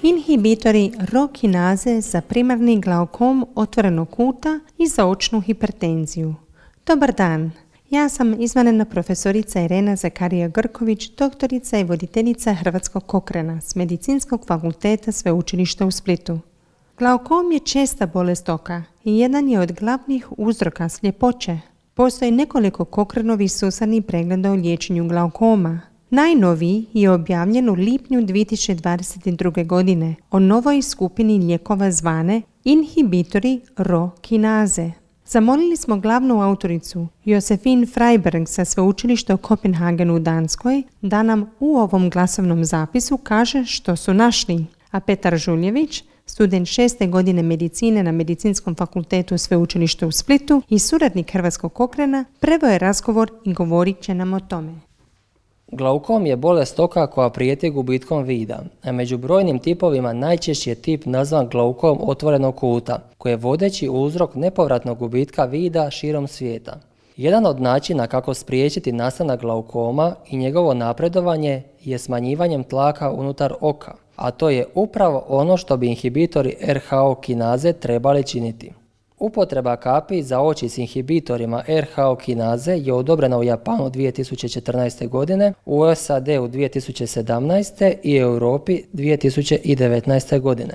Inhibitori RO kinaze za primarni glaukom otvorenog kuta i za očnu hipertenziju. Dobar dan, ja sam izvanredna profesorica Irena Zakarija-Grković, doktorica i voditeljica Hrvatskog Cochrana s Medicinskog fakulteta Sveučilišta u Splitu. Glaukom je česta bolest oka i jedan je od glavnih uzroka sljepoće. Postoji nekoliko Cochranovih sustavnih pregleda o liječenju glaukoma. Najnoviji je objavljen u lipnju 2022. godine o novoj skupini lijekova zvane inhibitori RO kinaze. Zamolili smo glavnu autoricu Josefine Freiberg sa sveučilišta u Kopenhagenu u Danskoj da nam u ovom glasovnom zapisu kaže što su našli, a Petar Žuljević, student 6. godine medicine na Medicinskom fakultetu Sveučilišta u Splitu i suradnik Hrvatskog Cochrana, preveo je razgovor i govorit će nam o tome. Glaukom je bolest oka koja prijeti gubitkom vida, a među brojnim tipovima najčešći je tip nazvan glaukom otvorenog kuta, koji je vodeći uzrok nepovratnog gubitka vida širom svijeta. Jedan od načina kako spriječiti nastanak glaukoma i njegovo napredovanje je smanjivanjem tlaka unutar oka, a to je upravo ono što bi inhibitori RHO kinaze trebali činiti. Upotreba kapi za oči s inhibitorima RHO kinaze je odobrena u Japanu 2014. godine, u SAD-u 2017. i Europi 2019. godine.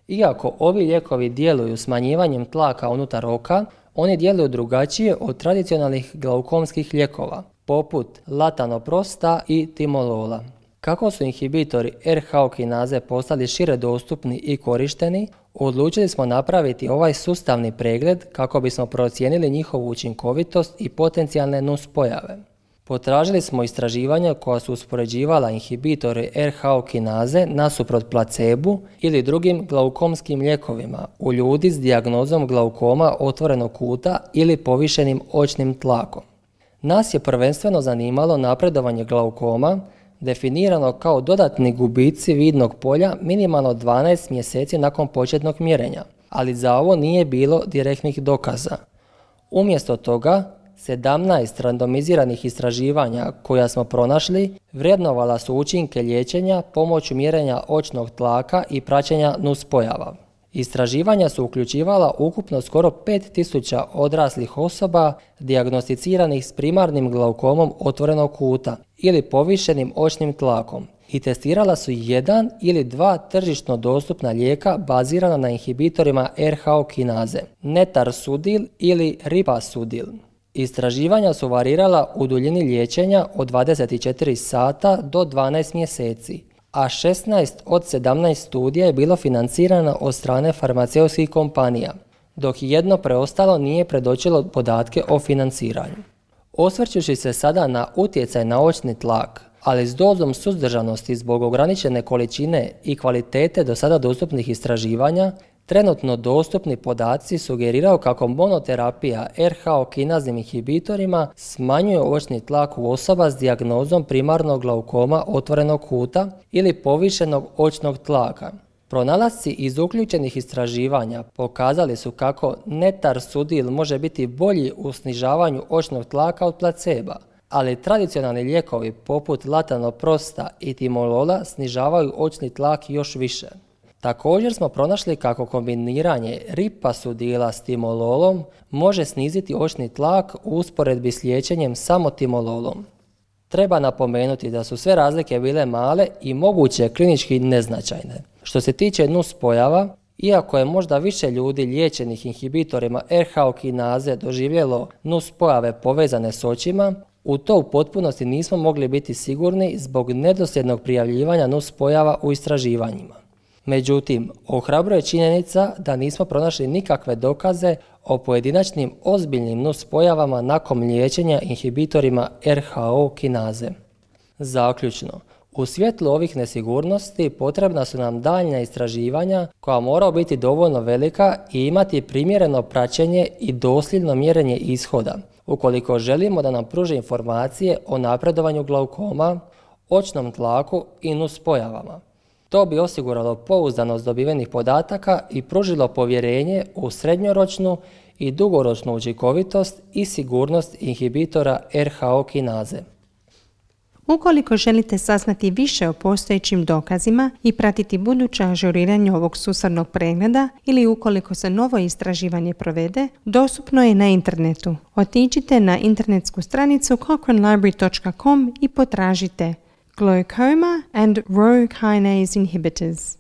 Iako ovi lijekovi djeluju smanjivanjem tlaka unutar oka, oni djeluju drugačije od tradicionalnih glaukomskih lijekova, poput latanoprosta i timolola. Kako su inhibitori RHO kinaze postali šire dostupni i korišteni, odlučili smo napraviti ovaj sustavni pregled kako bismo procijenili njihovu učinkovitost i potencijalne nuspojave. Potražili smo istraživanja koja su uspoređivala inhibitori RHO kinaze nasuprot placebu ili drugim glaukomskim lijekovima u ljudi s dijagnozom glaukoma otvorenog kuta ili povišenim očnim tlakom. Nas je prvenstveno zanimalo napredovanje glaukoma, definirano kao dodatni gubici vidnog polja minimalno 12 mjeseci nakon početnog mjerenja, ali za ovo nije bilo direktnih dokaza. Umjesto toga, 17 randomiziranih istraživanja koja smo pronašli vrednovala su učinke liječenja pomoću mjerenja očnog tlaka i praćenja nuspojava. Istraživanja su uključivala ukupno skoro 5000 odraslih osoba dijagnosticiranih s primarnim glaukomom otvorenog kuta ili povišenim očnim tlakom i testirala su jedan ili dva tržišno dostupna lijeka bazirana na inhibitorima RHO kinaze, netarsudil ili ripasudil. Istraživanja su varirala u duljini liječenja od 24 sata do 12 mjeseci, a 16 od 17 studija je bilo financirano od strane farmaceutskih kompanija, dok jedno preostalo nije predočilo podatke o financiranju. Osvrćući se sada na utjecaj na očni tlak, ali s dozom suzdržanosti zbog ograničene količine i kvalitete do sada dostupnih istraživanja, trenutno dostupni podaci sugeriraju kako monoterapija RHO kinaznim inhibitorima smanjuje očni tlak u osoba s dijagnozom primarnog glaukoma otvorenog kuta ili povišenog očnog tlaka. Pronalasci iz uključenih istraživanja pokazali su kako netarsudil može biti bolji u snižavanju očnog tlaka od placeba, ali tradicionalni lijekovi poput latanoprosta i timolola snižavaju očni tlak još više. Također smo pronašli kako kombiniranje ripasudila s timololom može sniziti očni tlak u usporedbi s liječenjem samo timololom. Treba napomenuti da su sve razlike bile male i moguće klinički neznačajne. Što se tiče nuspojava, iako je možda više ljudi liječenih inhibitorima RHO kinaze doživjelo nuspojave povezane s očima, u to u potpunosti nismo mogli biti sigurni zbog nedosljednog prijavljivanja nuspojava u istraživanjima. Međutim, ohrabruje činjenica da nismo pronašli nikakve dokaze o pojedinačnim ozbiljnim nuspojavama nakon liječenja inhibitorima RHO kinaze. Zaključno, u svjetlu ovih nesigurnosti potrebna su nam daljnja istraživanja koja moraju biti dovoljno velika i imati primjereno praćenje i dosljedno mjerenje ishoda, ukoliko želimo da nam pruže informacije o napredovanju glaukoma, očnom tlaku i nuspojavama. To bi osiguralo pouzdanost dobivenih podataka i pružilo povjerenje u srednjoročnu i dugoročnu učinkovitost i sigurnost inhibitora RHO kinaze. Ukoliko želite saznati više o postojećim dokazima i pratiti buduće ažuriranje ovog sustavnog pregleda ili ukoliko se novo istraživanje provede, dostupno je na internetu. Otiđite na internetsku stranicu cochranelibrary.com i potražite Glaucoma and Rho kinase inhibitors.